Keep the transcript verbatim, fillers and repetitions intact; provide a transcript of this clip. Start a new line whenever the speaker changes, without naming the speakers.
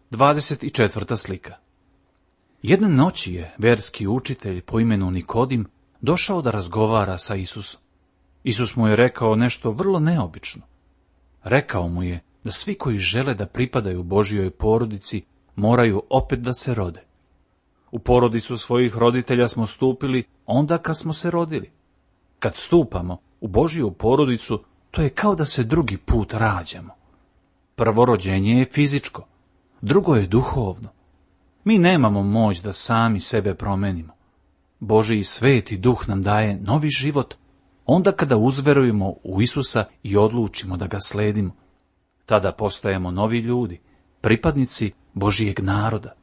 Dvadeset četvrta slika. Jedne noći je verski učitelj po imenu Nikodim došao da razgovara sa Isusom. Isus mu je rekao nešto vrlo neobično. Rekao mu je da svi koji žele da pripadaju Božjoj porodici moraju opet da se rode. U porodicu svojih roditelja smo stupili onda kad smo se rodili. Kad stupamo u Božju porodicu, to je kao da se drugi put rađamo. Prvo rođenje je fizičko, drugo je duhovno. Mi nemamo moć da sami sebe promenimo. Božji sveti duh nam daje novi život onda kada uzverujemo u Isusa i odlučimo da ga sledimo. Tada postajemo novi ljudi, pripadnici Božjeg naroda.